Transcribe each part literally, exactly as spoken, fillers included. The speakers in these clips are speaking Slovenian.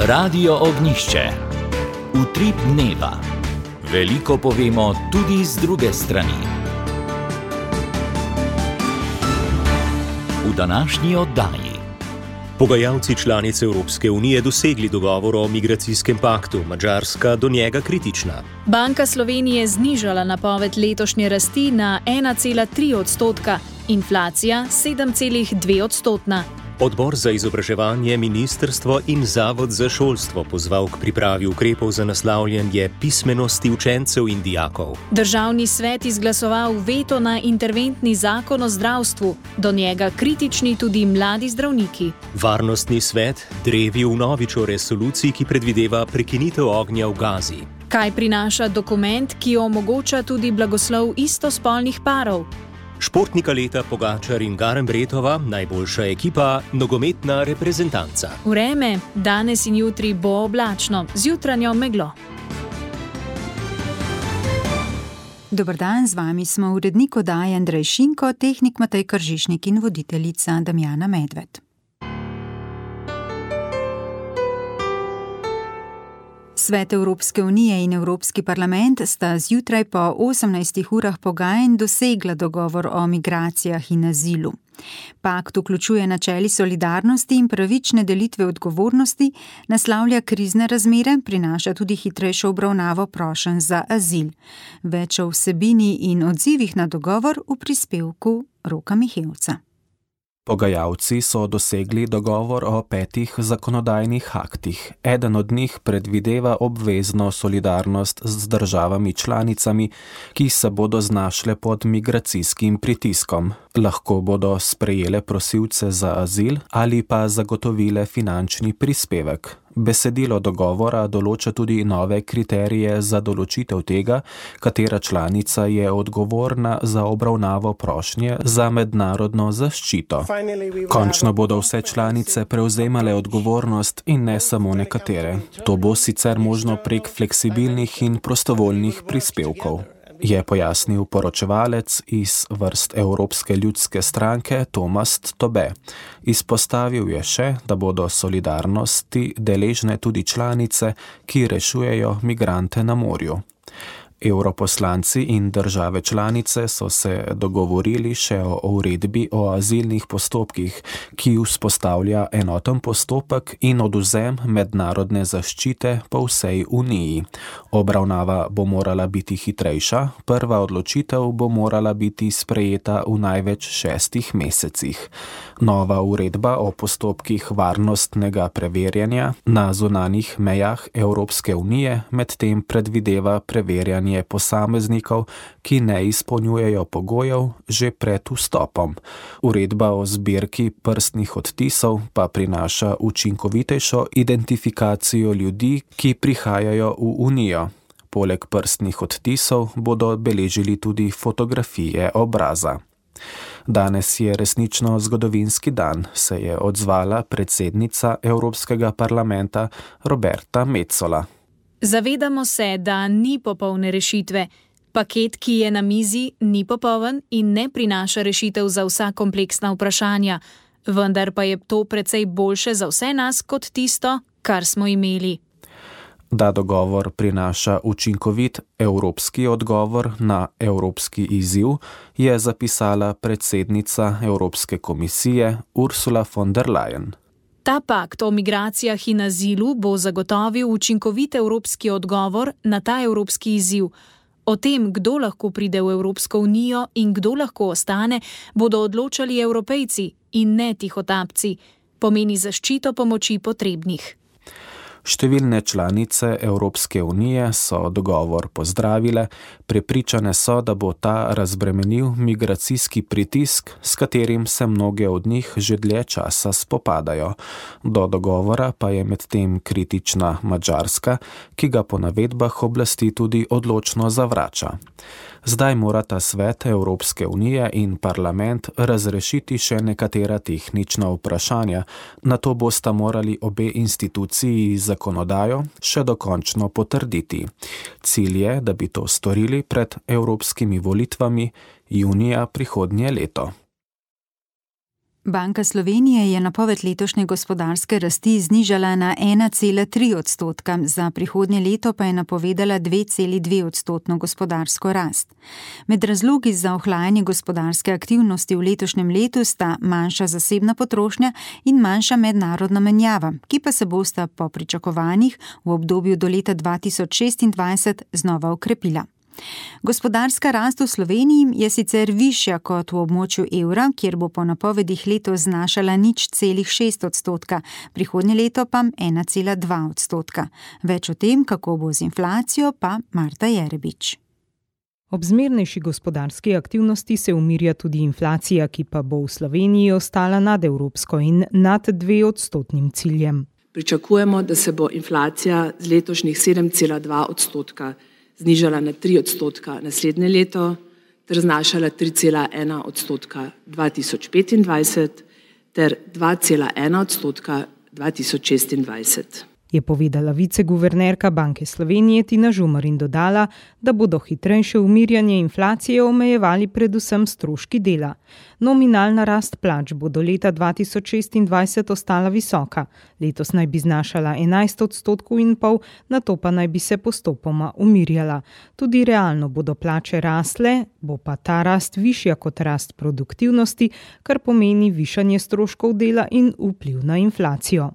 Radio Ognjišče. Utrip dneva. Veliko povemo tudi z druge strani. V današnji oddaji. Pogajalci članice Evropske unije dosegli dogovor o migracijskem paktu, Madžarska do njega kritična. Banka Slovenije znižala napoved letošnje rasti na ena cela tri odstotka, inflacija sedem cela dve odstotna. Odbor za izobraževanje, ministrstvo in Zavod za šolstvo pozval k pripravi ukrepov za naslavljanje pismenosti učencev in dijakov. Državni svet izglasoval veto na interventni zakon o zdravstvu, do njega kritični tudi mladi zdravniki. Varnostni svet drevi vnovič o resoluciji, ki predvideva prekinitev ognja v Gazi. Kaj prinaša dokument, ki omogoča tudi blagoslov istospolnih parov? Športnika leta Pogačar in Garnbretova, najboljša ekipa, nogometna reprezentanca. Vreme, danes in jutri bo oblačno, z jutranjo meglo. Dober dan, z vami smo urednik oddaje Andrej Šinko, tehnik Matej Kržišnik in voditeljica Damjana Medved. Svet Evropske unije in Evropski parlament sta zjutraj po osemnajstih urah pogajanj dosegla dogovor o migracijah in azilu. Pakt vključuje načeli solidarnosti in pravične delitve odgovornosti, naslavlja krizne razmere, prinaša tudi hitrejšo obravnavo prošenj za azil. Več o vsebini in odzivih na dogovor v prispevku Roka Mihevca. Pogajalci so dosegli dogovor o petih zakonodajnih aktih. Eden od njih predvideva obvezno solidarnost z državami članicami, ki se bodo znašle pod migracijskim pritiskom. Lahko bodo sprejele prosilce za azil ali pa zagotovile finančni prispevek. Besedilo dogovora določa tudi nove kriterije za določitev tega, katera članica je odgovorna za obravnavo prošnje za mednarodno zaščito. Končno bodo vse članice prevzemale odgovornost in ne samo nekatere. To bo sicer možno prek fleksibilnih in prostovoljnih prispevkov, je pojasnil poročevalec iz vrst Evropske ljudske stranke Tomas Tobe. Izpostavil je še, da bodo solidarnosti deležne tudi članice, ki rešujejo migrante na morju. Evroposlanci in države članice so se dogovorili še o uredbi o azilnih postopkih, ki vzpostavlja enoten postopek in odvzem mednarodne zaščite po vsej Uniji. Obravnava bo morala biti hitrejša, prva odločitev bo morala biti sprejeta v največ šestih mesecih. Nova uredba o postopkih varnostnega preverjanja na zunanjih mejah Evropske unije medtem predvideva preverjanje posameznikov, ki ne izpolnjujejo pogojev že pred vstopom. Uredba o zbirki prstnih odtisov pa prinaša učinkovitejšo identifikacijo ljudi, ki prihajajo v Unijo. Poleg prstnih odtisov bodo beležili tudi fotografije obraza. Danes je resnično zgodovinski dan, se je odzvala predsednica Evropskega parlamenta Roberta Metsola. Zavedamo se, da ni popolne rešitve. Paket, ki je na mizi, ni popoln in ne prinaša rešitev za vsa kompleksna vprašanja, vendar pa je to precej boljše za vse nas kot tisto, kar smo imeli. Da dogovor prinaša učinkovit evropski odgovor na evropski izziv, je zapisala predsednica Evropske komisije Ursula von der Leyen. Ta pakt o migracijah in azilu bo zagotovil učinkovit evropski odgovor na ta evropski izziv. O tem, kdo lahko pride v Evropsko unijo in kdo lahko ostane, bodo odločali Evropejci in ne tihotapci. Pomeni zaščito pomoči potrebnih. Številne članice Evropske unije so dogovor pozdravile, prepričane so, da bo ta razbremenil migracijski pritisk, s katerim se mnoge od njih že dlje časa spopadajo. Do dogovora pa je medtem kritična Madžarska, ki ga po navedbah oblasti tudi odločno zavrača. Zdaj morata Svet Evropske unije in parlament razrešiti še nekatera tehnična vprašanja, nato bosta morali obe instituciji zakonodajo še dokončno potrditi. Cilj je, da bi to storili pred evropskimi volitvami junija prihodnje leto. Banka Slovenije je napoved letošnje gospodarske rasti znižala na ena cela tri odstotka, za prihodnje leto pa je napovedala dve celi dve odstotno gospodarsko rast. Med razlogi za ohlajanje gospodarske aktivnosti v letošnjem letu sta manjša zasebna potrošnja in manjša mednarodna menjava, ki pa se bosta po pričakovanjih v obdobju do leta dva tisoč šestindvajset znova okrepila. Gospodarska rast v Sloveniji je sicer višja kot v območju evra, kjer bo po napovedih letos znašala nič celih šest odstotka, prihodnje leto pa ena cela dva odstotka. Več o tem, kako bo z inflacijo, pa Marta Jerebič. Ob zmernejši gospodarski aktivnosti se umirja tudi inflacija, ki pa bo v Sloveniji ostala nad evropsko in nad dve odstotnim ciljem. Pričakujemo, da se bo inflacija z letošnjih sedem cela dva odstotka znižala na tri odstotka naslednje leto ter znašala tri cela ena odstotka dva tisoč petindvajset ter dva cela ena odstotka dva tisoč šestindvajset. Je povedala viceguvernerka Banke Slovenije Tina Žumar in dodala, da bodo hitrejše umirjanje inflacije omejevali predvsem stroški dela. Nominalna rast plač bo do leta dva tisoč šestindvajset ostala visoka. Letos naj bi znašala enajst odstotkov in pol, nato pa naj bi se postopoma umirjala. Tudi realno bodo plače rasle, bo pa ta rast višja kot rast produktivnosti, kar pomeni višanje stroškov dela in vpliv na inflacijo.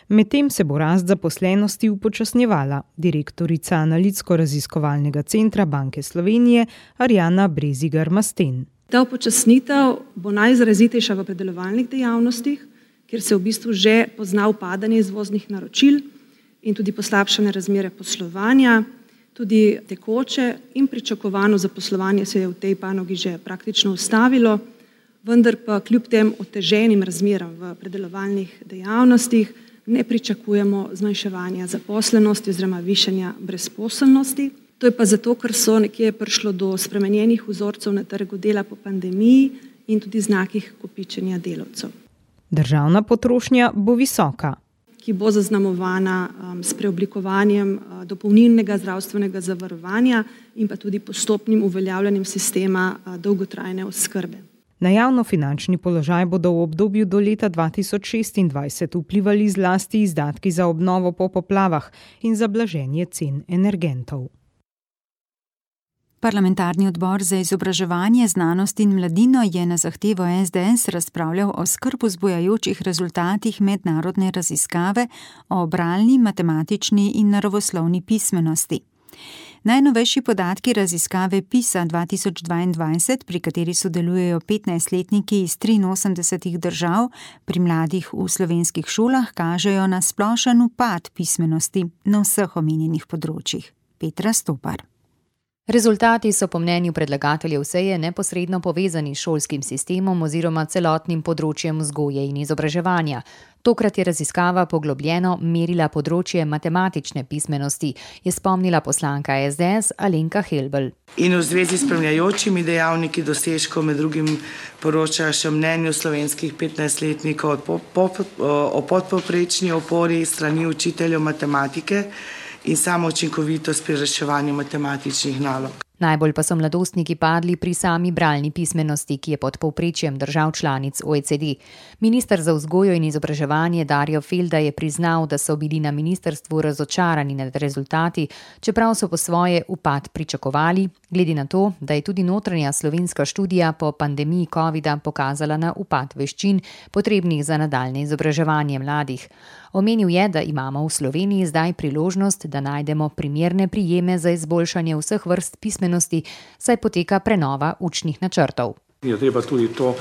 Medtem se bo rast zaposlenosti upočasnjevala. Direktorica Analitsko-raziskovalnega centra Banke Slovenije Arjana Brezigar-Masten. Ta upočasnitev bo najizrazitejša v predelovalnih dejavnostih, kjer se v bistvu že pozna upadanje izvoznih naročil in tudi poslabšane razmere poslovanja, tudi tekoče in pričakovano zaposlovanje se je v tej panogi že praktično ustavilo, vendar pa kljub tem oteženim razmeram v predelovalnih dejavnostih ne pričakujemo zmanjševanja zaposlenosti oziroma višanja brezposelnosti. To je pa zato, ker so nekje prišlo do spremenjenih vzorcev na trgu dela po pandemiji in tudi znakih kopičenja delavcev. Državna potrošnja bo visoka, ki bo zaznamovana um, s preoblikovanjem uh, dopolnilnega zdravstvenega zavarovanja in pa tudi postopnim uveljavljanjem sistema uh, dolgotrajne oskrbe. Na javnofinančni položaj bodo v obdobju do leta dva tisoč šestindvajset vplivali zlasti izdatki za obnovo po poplavah in za blaženje cen energentov. Parlamentarni odbor za izobraževanje, znanost in mladino je na zahtevo es de es razpravljal o skrb vzbujajočih rezultatih mednarodne raziskave o bralni, matematični in naravoslovni pismenosti. Najnovejši podatki raziskave PISA dva tisoč dvaindvajset, pri kateri sodelujejo petnajstletniki iz triinosemdesetih držav, pri mladih v slovenskih šolah kažejo na splošen upad pismenosti na vseh omenjenih področjih. Petra Stopar. Rezultati so po mnenju predlagateljev seje neposredno povezani s šolskim sistemom oziroma celotnim področjem vzgoje in izobraževanja. Tokrat je raziskava poglobljeno merila področje matematične pismenosti, je spomnila poslanka es de es Alenka Helbl. In v zvezi s spremljajočimi dejavniki dosežkov med drugim poroča še mnenju slovenskih petnajstletnikov o, po, o podpovprečni opori strani učiteljev matematike in samo učinkovitost pri reševanju matematičnih nalog. Najbolj pa so mladostniki padli pri sami bralni pismenosti, ki je pod povprečjem držav članic o e ce de. Minister za vzgojo in izobraževanje Darjo Felda je priznal, da so bili na ministrstvu razočarani nad rezultati, čeprav so po svoje upad pričakovali, glede na to, da je tudi notranja slovenska študija po pandemiji covida pokazala na upad veščin, potrebnih za nadaljne izobraževanje mladih. Omenil je, da imamo v Sloveniji zdaj priložnost, da najdemo primerne prijeme za izboljšanje vseh vrst pismenosti, saj poteka prenova učnih načrtov. Je treba tudi to,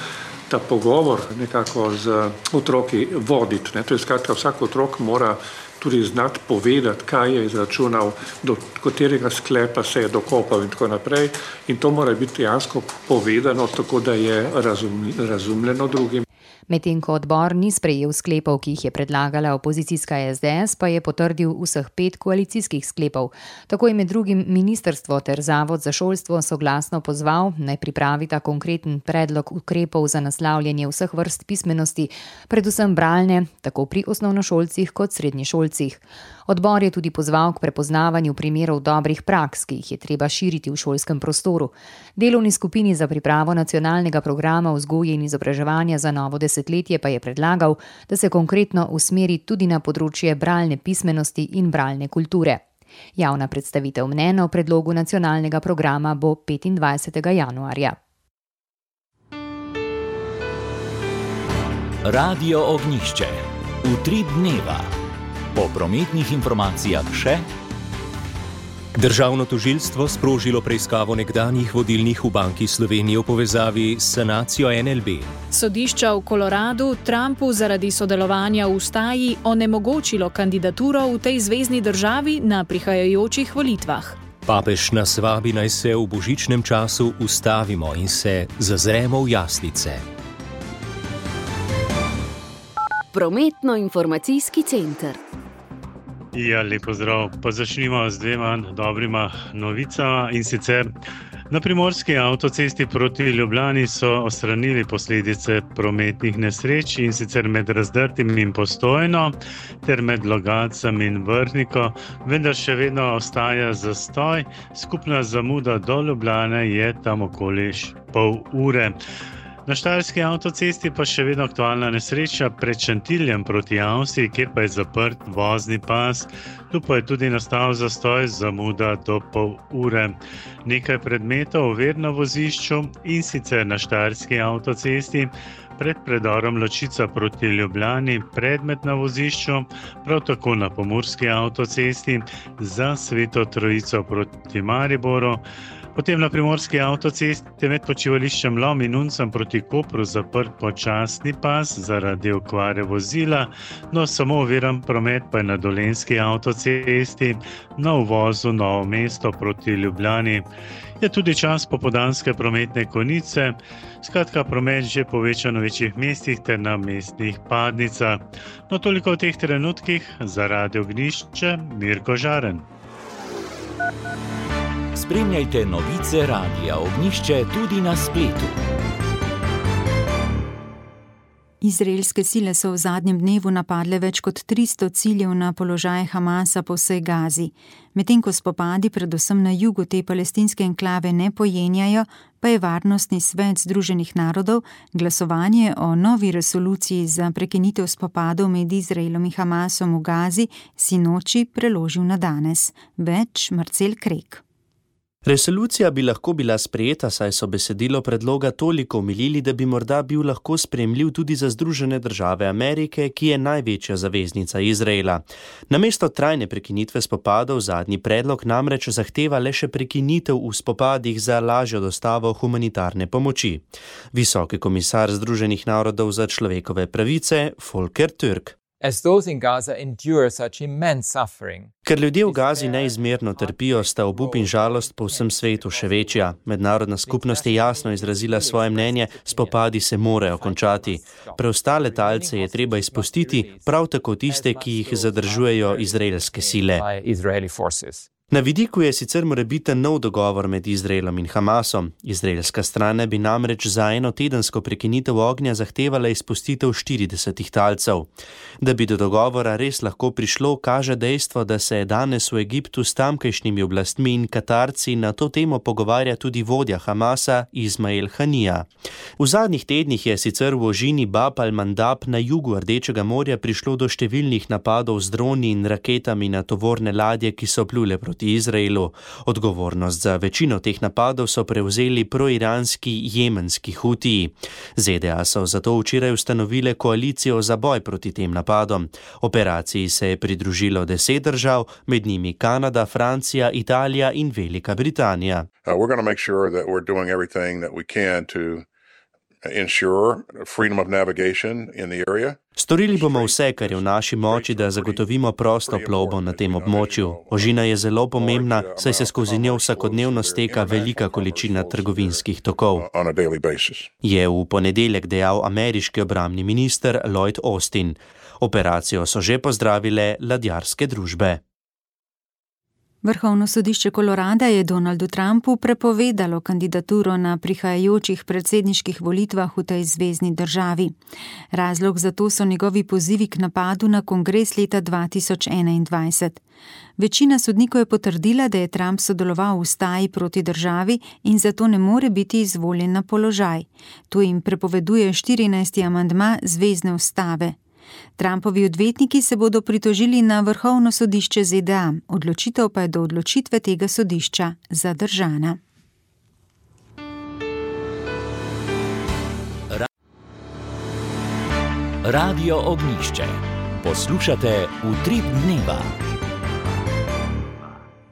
ta pogovor nekako z otroki voditi. Ne? To je skratka, vsak otrok mora tudi znati povedati, kaj je izračunal, do katerega sklepa se je dokopal in tako naprej. In to mora biti dejansko povedano, tako da je razum, razumljeno drugim. Medtem ko odbor ni sprejel sklepov, ki jih je predlagala opozicijska es de es, pa je potrdil vseh pet koalicijskih sklepov. Tako je med drugim ministrstvo ter Zavod za šolstvo soglasno pozval, naj pripravita konkreten predlog ukrepov za naslavljanje vseh vrst pismenosti, predvsem bralne, tako pri osnovnošolcih kot srednješolcih. Odbor je tudi pozval k prepoznavanju primerov dobrih praks, ki jih je treba širiti v šolskem prostoru. Delovni skupini za pripravo nacionalnega programa vzgoje in izobraževanja za novo desetletje pa je predlagal, da se konkretno usmeri tudi na področje bralne pismenosti in bralne kulture. Javna predstavitev mnenja o predlogu nacionalnega programa bo petindvajsetega januarja. Radio Ognjišče. Utrip dneva. Po prometnih informacijah še. Državno tožilstvo sprožilo preiskavo nekdanjih vodilnih v Banki Slovenije v povezavi s sanacijo N L B. Sodišča v Koloradu Trumpu zaradi sodelovanja v ustaji onemogočilo kandidaturo v tej zvezni državi na prihajajočih volitvah. Papež nas vabi, naj se v božičnem času ustavimo in se zazremo v jaslice. Prometno-informacijski center. Ja, lep pozdrav. Pa začnimo z dvema dobrima novicama in sicer na primorski avtocesti proti Ljubljani so odstranili posledice prometnih nesreč in sicer med Razdrtim in Postojno ter med Logatcem in Vrhniko, vendar še vedno ostaja zastoj. Skupna zamuda do Ljubljane je tam okoli pol ure. Na štajerski avtocesti pa še vedno aktualna nesreča pred Šentiljem proti Avstriji, kjer pa je zaprt vozni pas. Tu pa je tudi nastal zastoj, zamuda do pol ure. Nekaj predmetov ovir na vozišču in sicer na štajerski avtocesti pred predorom Ločica proti Ljubljani, predmet na vozišču, prav tako na pomurski avtocesti za Sveto Trojico proti Mariboru. Potem na primorski avtocesti med počivališčem Lom in Uncem proti Kopru zaprt počasni pas zaradi okvare vozila, no samo oviran promet pa je na Dolenjski avtocesti na uvozu Novo mesto proti Ljubljani. Je tudi čas popoldanske prometne konice, skratka promet že povečan v večjih mestih ter na mestnih padnicah. No toliko v teh trenutkih, za Radio Ognjišče, Mirko Žaren. Spremljajte novice Radia Ognjišče tudi na spletu. Izraelske sile so v zadnjem dnevu napadle več kot tristo ciljev na položaje Hamasa po vsej Gazi. Medtem ko spopadi predvsem na jugu te palestinske enklave ne pojenjajo, pa je Varnostni svet Združenih narodov glasovanje o novi resoluciji za prekinitev spopadov med Izraelom in Hamasom v Gazi sinoči preložil na danes. Več Marcel Krek. Resolucija bi lahko bila sprejeta, saj so besedilo predloga toliko omilili, da bi morda bil lahko sprejemljiv tudi za Združene države Amerike, ki je največja zaveznica Izraela. Namesto trajne prekinitve spopadov zadnji predlog namreč zahteva le še prekinitev v spopadih za lažjo dostavo humanitarne pomoči. Visoki komisar Združenih narodov za človekove pravice Volker Türk. As those in Gaza endure such immense suffering. Ker ljudje v Gazi neizmerno trpijo, sta obup in žalost po vsem svetu še večja. Mednarodna skupnost je jasno izrazila svoje mnenje, spopadi se morajo končati. Preostale talce je treba izpustiti, prav tako tiste, ki jih zadržujejo izraelske sile. Na vidiku je sicer morebiten nov dogovor med Izraelom in Hamasom. Izraelska strana bi namreč za eno tedensko prekinitev ognja zahtevala izpustitev štiridesetih talcev. Da bi do dogovora res lahko prišlo, kaže dejstvo, da se je danes v Egiptu s tamkajšnjimi oblastmi in Katarci na to temo pogovarja tudi vodja Hamasa Ismail Hanija. V zadnjih tednih je sicer v ožini Bab al-Mandab na jugu Rdečega morja prišlo do številnih napadov z droni in raketami na tovorne ladje, ki so plule proti Izraelu. Odgovornost za večino teh napadov so prevzeli proiranski jemenski Hutiji. Z D A so zato včeraj ustanovile koalicijo za boj proti tem napadom. Operaciji se je pridružilo deset držav, med njimi Kanada, Francija, Italija in Velika Britanija. Uh, we're going to make sure that we're doing everything that we can to ensure freedom of navigation in the area. Storili bomo vse, kar je v naši moči, da zagotovimo prosto plovbo na tem območju. Ožina je zelo pomembna, saj se skozi njo vsakodnevno steka velika količina trgovinskih tokov, je v ponedeljek dejal ameriški obrambni minister Lloyd Austin. Operacijo so že pozdravile ladjarske družbe. Vrhovno sodišče Kolorada je Donaldu Trumpu prepovedalo kandidaturo na prihajajočih predsedniških volitvah v tej zvezni državi. Razlog za to so njegovi pozivi k napadu na kongres leta dva tisoč enaindvajset. Večina sodnikov je potrdila, da je Trump sodeloval v staji proti državi in zato ne more biti izvoljen na položaj. To jim prepoveduje štirinajsti amandma zvezne ustave. Trumpovi odvetniki se bodo pritožili na Vrhovno sodišče Z D A, odločitev pa je do odločitve tega sodišča zadržana. Radio Ognjišče. Poslušate Utrip dneva.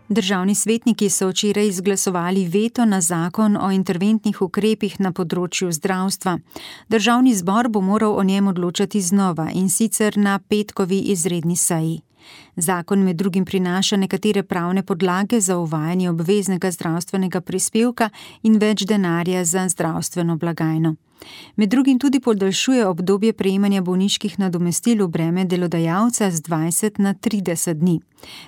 Državni svetniki so včeraj izglasovali veto na zakon o interventnih ukrepih na področju zdravstva. Državni zbor bo moral o njem odločati znova, in sicer na petkovi izredni seji. Zakon med drugim prinaša nekatere pravne podlage za uvajanje obveznega zdravstvenega prispevka in več denarja za zdravstveno blagajno. Med drugim tudi podaljšuje obdobje prejemanja bolniških nadomestil v breme delodajalca z dvajset na trideset dni.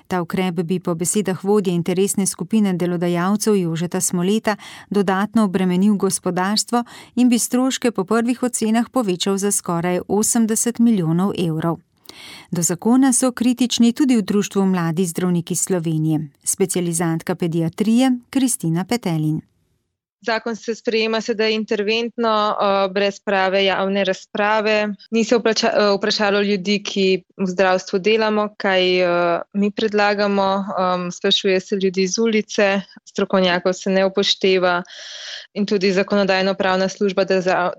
Ta ukrep bi po besedah vodje interesne skupine delodajalcev Jožeta Smoleta dodatno obremenil gospodarstvo in bi stroške po prvih ocenah povečal za skoraj osemdeset milijonov evrov. Do zakona so kritični tudi v Društvu Mladi zdravniki Slovenije. Specializantka pediatrije Kristina Petelin. Zakon se sprejema sedaj interventno, brez prave javne razprave. Ni se vprašalo ljudi, ki v zdravstvu delamo, kaj mi predlagamo. Sprašuje se ljudi z ulice, strokovnjakov se ne upošteva in tudi zakonodajno-pravna služba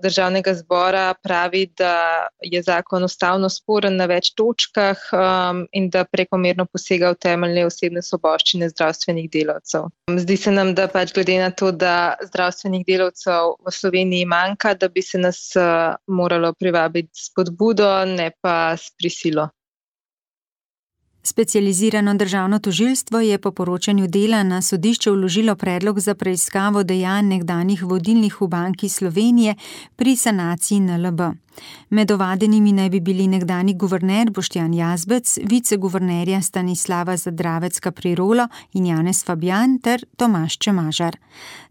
državnega zbora pravi, da je zakon ustavno sporen na več točkah in da prekomerno posega v temeljne osebne svoboščine zdravstvenih delavcev. Zdi se nam, da pač glede na to, da zdravstvenih delavcev v Sloveniji manjka, da bi se nas moralo privabiti s spodbudo, ne pa s prisilo. Specializirano državno tožilstvo je po poročanju Dela na sodišče vložilo predlog za preiskavo dejanj nekdanjih vodilnih v Banki Slovenije pri sanaciji N L B. Med ovadenimi naj bi bili nekdanji guverner Boštjan Jazbec, viceguvernerja Stanislava Zadravec-Kaprirolo in Janez Fabjan ter Tomaž Čemažar.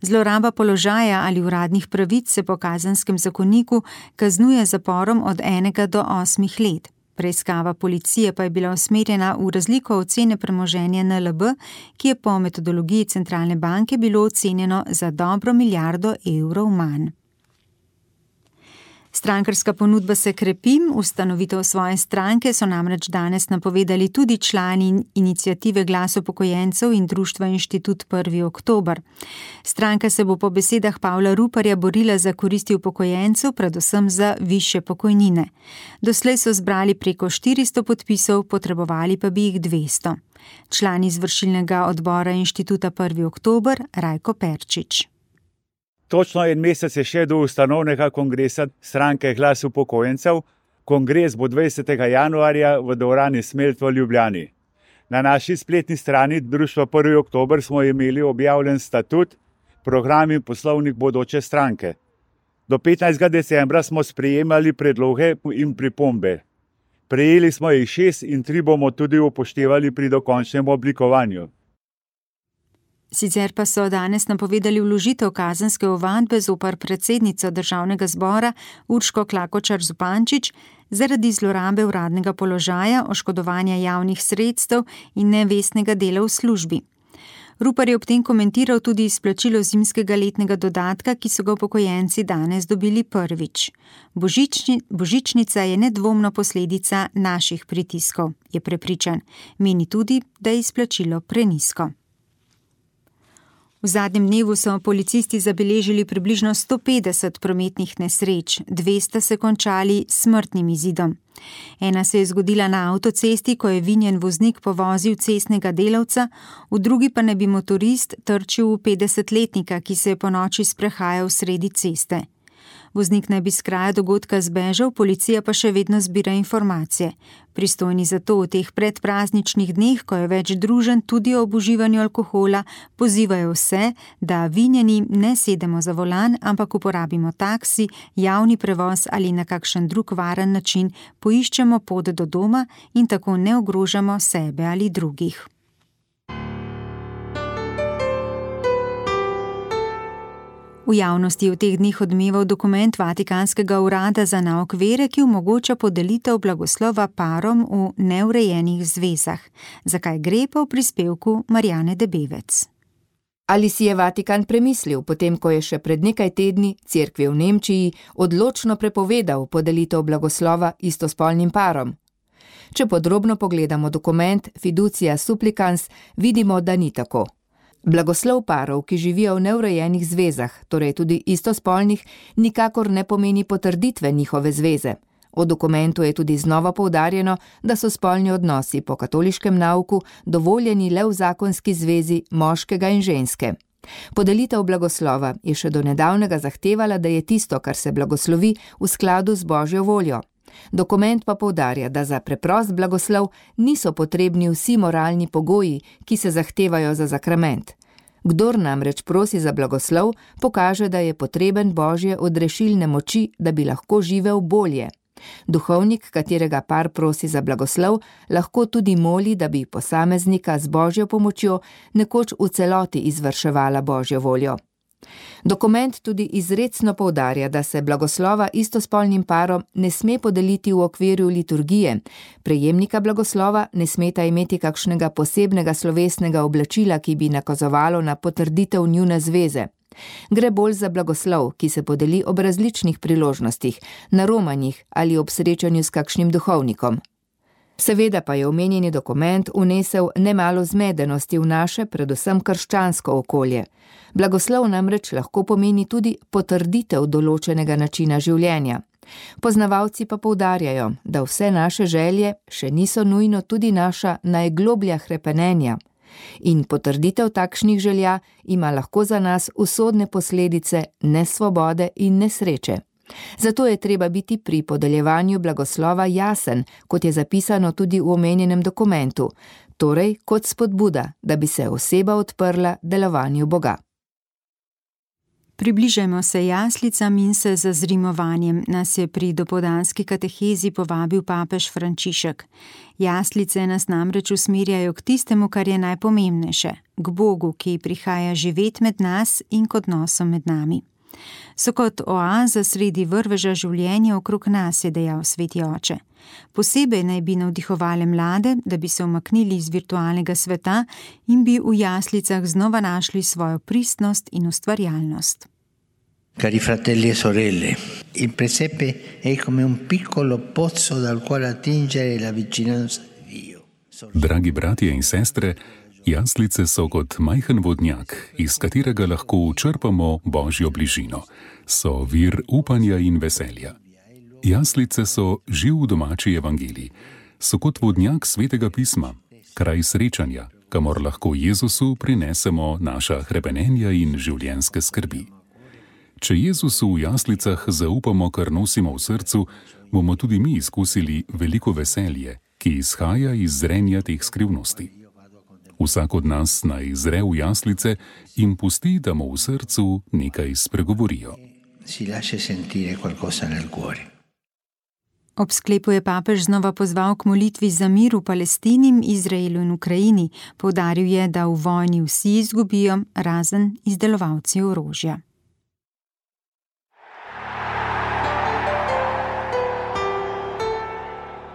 Zloraba položaja ali uradnih pravic se po Kazenskem zakoniku kaznuje zaporom od enega do osmih let. Preiskava policije pa je bila usmerjena v razliko ocene premoženja N L B, ki je po metodologiji centralne banke bilo ocenjeno za dobro milijardo evrov manj. Strankarska ponudba se krepi, ustanovitev svoje stranke so namreč danes napovedali tudi člani iniciative Glas upokojencev in društva Inštitut prvi oktober. Stranka se bo po besedah Pavla Ruparja borila za koristi upokojencev, predvsem za višje pokojnine. Doslej so zbrali preko štiristo podpisov, potrebovali pa bi jih dvesto. Član izvršilnega odbora Inštituta prvi oktober Rajko Perčič. Točno en mesec je še do ustanovnega kongresa stranke Glas upokojencev. Kongres bo dvajsetega januarja v dvorani Smelt v Ljubljani. Na naši spletni strani Društva prvi oktober smo imeli objavljen statut, program in poslovnik bodoče stranke. Do petnajstega decembra smo sprejemali predloge in pripombe. Prejeli smo jih šest in tri bomo tudi upoštevali pri dokončnem oblikovanju. Sicer pa so danes napovedali vložitev kazenske ovadbe zoper predsednico državnega zbora Urško Klakočar Zupančič zaradi zlorabe uradnega položaja, oškodovanja javnih sredstev in nevestnega dela v službi. Rupar je ob tem komentiral tudi izplačilo zimskega letnega dodatka, ki so ga upokojenci danes dobili prvič. Božični, božičnica je nedvomno posledica naših pritiskov, je prepričan. Meni tudi, da je izplačilo prenizko. V zadnjem dnevu so policisti zabeležili približno sto petdeset prometnih nesreč, dvesto se končali s smrtnim izidom. Ena se je zgodila na avtocesti, ko je vinjen voznik povozil cestnega delavca, v drugi pa naj bi motorist trčil v petdesetletnika, ki se je ponoči sprehajal sredi ceste. Voznik naj bi s kraja dogodka zbežal, policija pa še vedno zbira informacije. Pristojni za to v teh predprazničnih dneh, ko je več druženj tudi ob uživanju alkohola, pozivajo vse, da vinjeni ne sedemo za volan, ampak uporabimo taksi, javni prevoz ali na kakšen drug varen način poiščemo pot do doma in tako ne ogrožamo sebe ali drugih. V javnosti je v teh dneh odmeval dokument Vatikanskega urada za nauk vere, ki omogoča podelitev blagoslova parom v neurejenih zvezah. Zakaj gre, pa v prispevku Marjane Debevec. Ali si je Vatikan premislil, potem ko je še pred nekaj tedni cerkvi v Nemčiji odločno prepovedal podelitev blagoslova istospolnim parom? Če podrobno pogledamo dokument Fiducia Supplicans, vidimo, da ni tako. Blagoslov parov, ki živijo v neurejenih zvezah, torej tudi istospolnih, nikakor ne pomeni potrditve njihove zveze. V dokumentu je tudi znova poudarjeno, da so spolni odnosi po katoliškem nauku dovoljeni le v zakonski zvezi moškega in ženske. Podelitev blagoslova je še do nedavnega zahtevala, da je tisto, kar se blagoslovi, v skladu z Božjo voljo. Dokument pa poudarja, da za preprost blagoslov niso potrebni vsi moralni pogoji, ki se zahtevajo za sakrament. Kdor namreč prosi za blagoslov, pokaže, da je potreben Božje odrešilne moči, da bi lahko živel bolje. Duhovnik, katerega par prosi za blagoslov, lahko tudi moli, da bi posameznika z Božjo pomočjo nekoč v celoti izvrševala Božjo voljo. Dokument tudi izrecno poudarja, da se blagoslova istospolnim parom ne sme podeliti v okviru liturgije. Prejemnika blagoslova ne smeta imeti kakšnega posebnega slovesnega oblačila, ki bi nakazovalo na potrditev njune zveze. Gre bolj za blagoslov, ki se podeli ob različnih priložnostih, na romanjih ali ob srečanju s kakšnim duhovnikom. Seveda pa je omenjeni dokument vnesel nemalo zmedenosti v naše, predvsem krščansko okolje. Blagoslov namreč lahko pomeni tudi potrditev določenega načina življenja. Poznavalci pa poudarjajo, da vse naše želje še niso nujno tudi naša najgloblja hrepenenja. In potrditev takšnih želja ima lahko za nas usodne posledice nesvobode in nesreče. Zato je treba biti pri podeljevanju blagoslova jasen, kot je zapisano tudi v omenjenem dokumentu, torej kot spodbuda, da bi se oseba odprla delovanju Boga. Približajmo se jaslicam in se zazrimovanjem, nas je pri dopoldanski katehezi povabil papež Frančišek. Jaslice nas namreč usmerjajo k tistemu, kar je najpomembnejše, k Bogu, ki prihaja živet med nas in k odnosom med nami. So kot oaza sredi vrveža življenja okrog nas, je dejal sveti oče. Posebej naj bi navdihovale mlade, da bi se umaknili iz virtualnega sveta in bi v jaslicah znova našli svojo pristnost in ustvarjalnost. Cari fratelli e sorelle, il presepe è come un piccolo pozzo dal quale attingere la vicinanza di Dio. Dragi bratje in sestre, jaslice so kot majhen vodnjak, iz katerega lahko črpamo Božjo bližino. So vir upanja in veselja. Jaslice so živ domači evangelij. So kot vodnjak svetega pisma, kraj srečanja, kamor lahko Jezusu prinesemo naša hrepenenja in življenjske skrbi. Če Jezusu v jaslicah zaupamo, kar nosimo v srcu, bomo tudi mi izkusili veliko veselje, ki izhaja iz zrenja teh skrivnosti. Vsak od nas naj zre v jaslice in pusti, da mu v srcu nekaj spregovorijo. Ob sklepu je papež znova pozval k molitvi za mir v Palestini, Izraelu in Ukrajini. Poudaril je, da v vojni vsi izgubijo, razen izdelovalci orožja.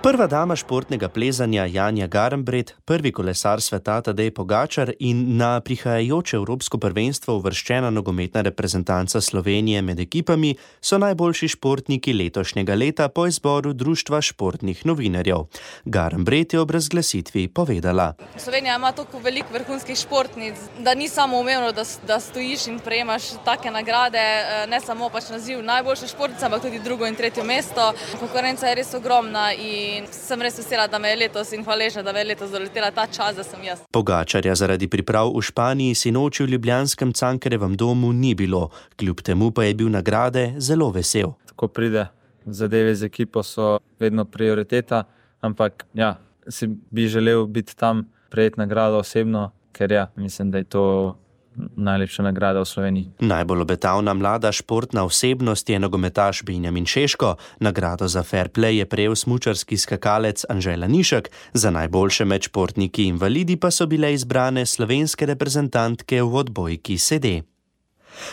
Prva dama športnega plezanja Janja Garnbret, prvi kolesar sveta Tadej Pogačar in na prihajajoče Evropsko prvenstvo uvrščena nogometna reprezentanca Slovenije med ekipami so najboljši športniki letošnjega leta po izboru Društva športnih novinarjev. Garnbret je ob razglasitvi povedala. Slovenija ima toliko veliko vrhunskih športnic, da ni samo umevno, da, da stojiš in prejemaš take nagrade, ne samo pač naziv najboljše športnice, ampak tudi drugo in tretje mesto. Konkurenca je res ogromna in In sem res vesela, da me je letos in hvaležna, da me je letos doletela ta čas, da sem jaz. Pogačarja zaradi priprav v Španiji sinoči v ljubljanskem Cankarjevem domu ni bilo, kljub temu pa je bil nagrade zelo vesel. Ko pride zadeve z ekipo, so vedno prioriteta, ampak ja, si bi želel biti tam, prejeti nagrado osebno, ker ja, mislim, da je to najlepša nagrada v Sloveniji. Najbolj obetavna mlada športna osebnost je nogometaš Benjamin Šeško. Nagrado za fair play je prejel smučarski skakalec Anže Lanišek, za najboljše med športniki invalidi pa so bile izbrane slovenske reprezentantke v odbojki sede.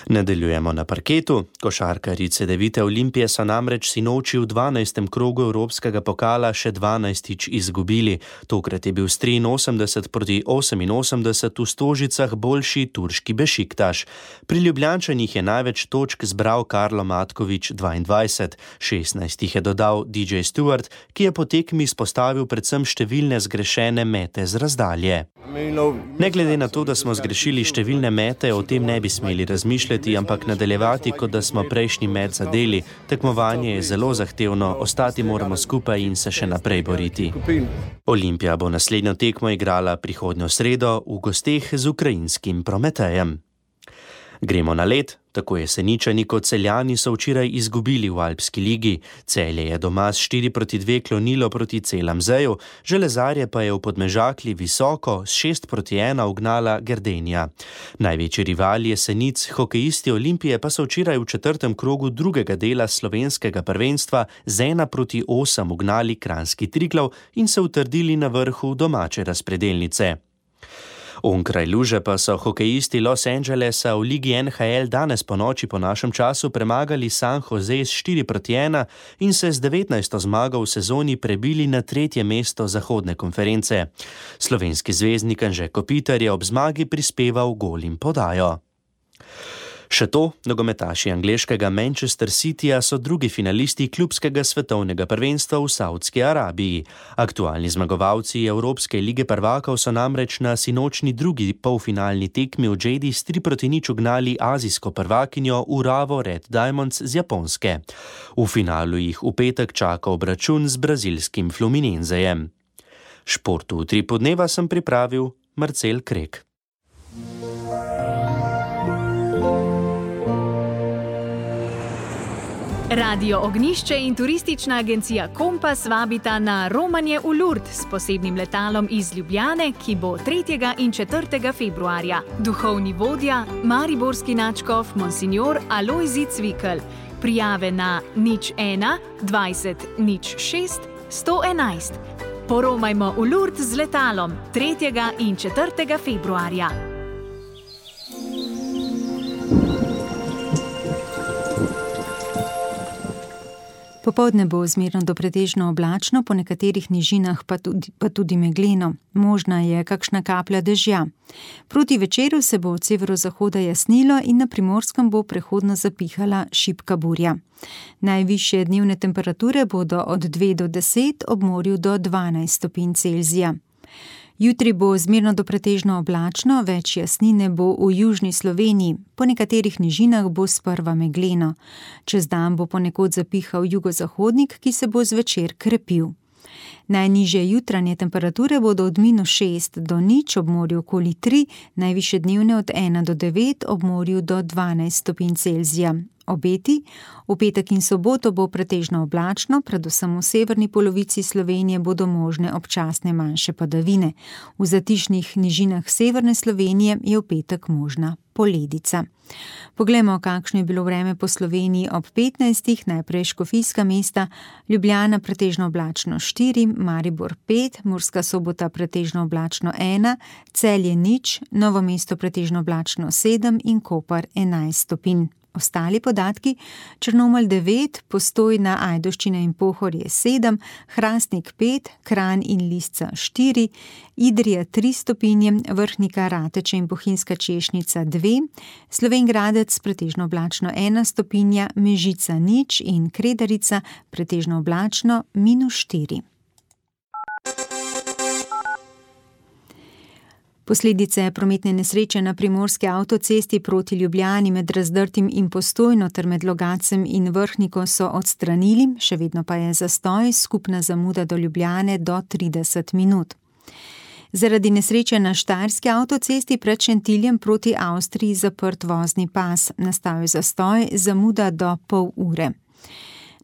Nadaljujemo na parketu. Košarkarji Cedevite Olimpije so namreč sinoči v dvanajstem krogu Evropskega pokala še dvanajstič izgubili. Tokrat je bil s triinosemdeset proti oseminosemdeset v Stožicah boljši turški Bešiktaš. Pri Ljubljančanih je največ točk zbral Karlo Matkovič dvaindvajset, šestnajst jih je dodal D J Stewart, ki je po tekmi izpostavil predvsem številne zgrešene mete z razdalje. Ne glede na to, da smo zgrešili številne mete, o tem ne bi smeli razmišljati, ampak nadaljevati, kot da smo prejšnji met zadeli. Tekmovanje je zelo zahtevno, ostati moramo skupaj in se še naprej boriti. Olimpija bo naslednjo tekmo igrala prihodnjo sredo v gosteh z ukrajinskim Prometejem. Gremo na led. Tako Jeseničani kot Celjani so včeraj izgubili v Alpski ligi. Celje je doma s štiri proti dve klonilo proti Celamzeju, Železarje pa je v Podmežakli visoko s šest proti ena ugnala Gerdenija. Največji rivali Jesenic, hokejisti Olimpije, pa so včeraj v četrtem krogu drugega dela slovenskega prvenstva z ena proti osem ugnali Kranjski Triglav in se utrdili na vrhu domače razpredelnice. Onkraj luže pa so hokejisti Los Angelesa v ligi N H L danes po noči po našem času premagali San Jose s štiri proti ena in se z devetnajsto zmago v sezoni prebili na tretje mesto zahodne konference. Slovenski zvezdnik Anže Kopitar je ob zmagi prispeval gol in podajo. Še to, nogometaši angleškega Manchester Cityja so drugi finalisti klubskega svetovnega prvenstva v Saudski Arabiji. Aktualni zmagovalci Evropske lige prvakov so namreč na sinočni drugi polfinalni tekmi v Džedi s tri proti nič ugnali azijsko prvakinjo Urawa Red Diamonds z Japonske. V finalu jih v petek čaka obračun z brazilskim Fluminensejem. Športu v Tripu dneva sem pripravil Marcel Krek. Radio Ognjišče in turistična agencija Kompas vabita na romanje v Lourdes s posebnim letalom iz Ljubljane, ki bo tretjega in četrtega februarja. Duhovni vodja, mariborski nadškof Monsignor Alojzij Cvikl. Prijave na nič ena dvajset nič šest sto enajst. Poromajmo v Lourdes z letalom tretjega in četrtega februarja. Popoldne bo zmerno do pretežno oblačno, po nekaterih nižinah pa tudi, pa tudi megleno. Možna je kakšna kaplja dežja. Proti večeru se bo od severozahoda jasnilo in na Primorskem bo prehodno zapihala šibka burja. Najvišje dnevne temperature bodo od dve do deset, ob morju do dvanajst stopinj Celzija. Jutri bo zmerno do pretežno oblačno, več jasnine bo v južni Sloveniji, po nekaterih nižinah bo sprva megleno. Čez dan bo ponekod zapihal jugozahodnik, ki se bo zvečer krepil. Najnižje jutranje temperature bodo od minus šest do nič, ob morju okoli tri, najvišje dnevne od ena do devet, ob morju do dvanajst stopinj Celzija. Obeti. V petek in soboto bo pretežno oblačno, predvsem v severni polovici Slovenije bodo možne občasne manjše padavine. V zatišnih nižinah severne Slovenije je v petek možna poledica. Poglejmo, kakšno je bilo vreme po Sloveniji ob petnajstih, najprej škofijska mesta, Ljubljana pretežno oblačno štiri, Maribor pet, Murska Sobota pretežno oblačno ena, Celje nič, Novo mesto pretežno oblačno sedem in Koper enajst stopinj. Ostali podatki: Črnomelj devet, Postojna, Ajdovščina in Pohorje sedem, Hrastnik pet, Kranj in Lisca štiri, Idrija tri stopinje, Vrhnika, Rateče in Bohinjska Češnica dve, Slovenj Gradec pretežno oblačno ena stopinja, Mežica nič in Kredarica pretežno oblačno minus štiri. Posledice prometne nesreče na primorski avtocesti proti Ljubljani med Razdrtim in Postojno ter med Logacem in Vrhniko so odstranili, še vedno pa je zastoj, skupna zamuda do Ljubljane do trideset minut. Zaradi nesreče na Štajerski avtocesti pred Šentiljem proti Avstriji zaprt vozni pas, nastal je zastoj, zamuda do pol ure.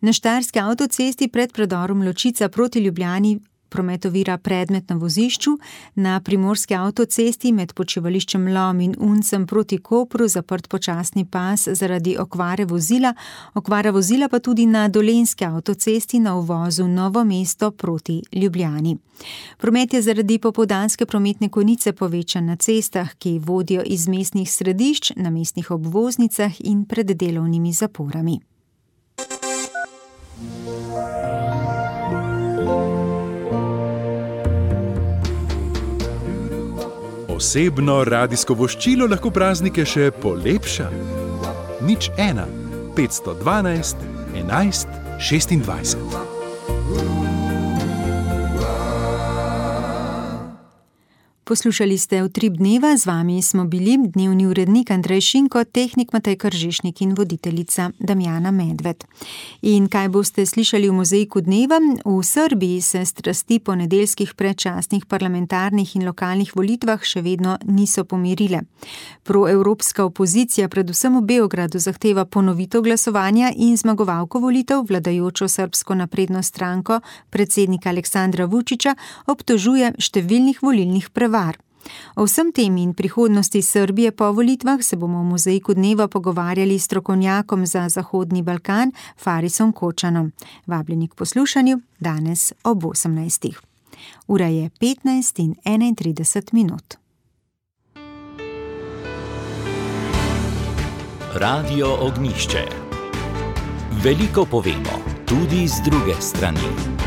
Na Štajerski avtocesti pred predorom Ločica proti Ljubljani prometovira predmet na vozišču, na primorski avtocesti med počivališčem Lom in Uncem proti Kopru zaprt počasni pas zaradi okvare vozila, okvara vozila pa tudi na dolenjski avtocesti na uvozu Novo mesto proti Ljubljani. Promet je zaradi popoldanske prometne konice povečan na cestah, ki vodijo iz mestnih središč, na mestnih obvoznicah in pred delovnimi zaporami. Osebno radijsko voščilo lahko praznike še polepša. Nič ena, petsto dvanajst, enajst, šestindvajset. Poslušali ste Utrip dneva, z vami smo bili dnevni urednik Andrej Šinko, tehnik Matej Kržišnik in voditeljica Damjana Medved. In kaj boste slišali v mozaiku dneva? V Srbiji se strasti po nedeljskih predčasnih parlamentarnih in lokalnih volitvah še vedno niso pomirile. Proevropska opozicija predvsem v Beogradu zahteva ponovitev glasovanja in zmagovalko volitev, vladajočo srbsko napredno stranko, predsednika Aleksandra Vučića, obtožuje številnih volilnih prevar. O vsem tem in prihodnosti Srbije po volitvah se bomo v mozaiku dneva pogovarjali s strokovnjakom za Zahodni Balkan, Farisom Kočanom. Vabljeni k poslušanju danes ob osemnajstih. Ura je petnajst in enaintrideset minut. Radio Ognjišče. Veliko povemo, tudi z druge strani.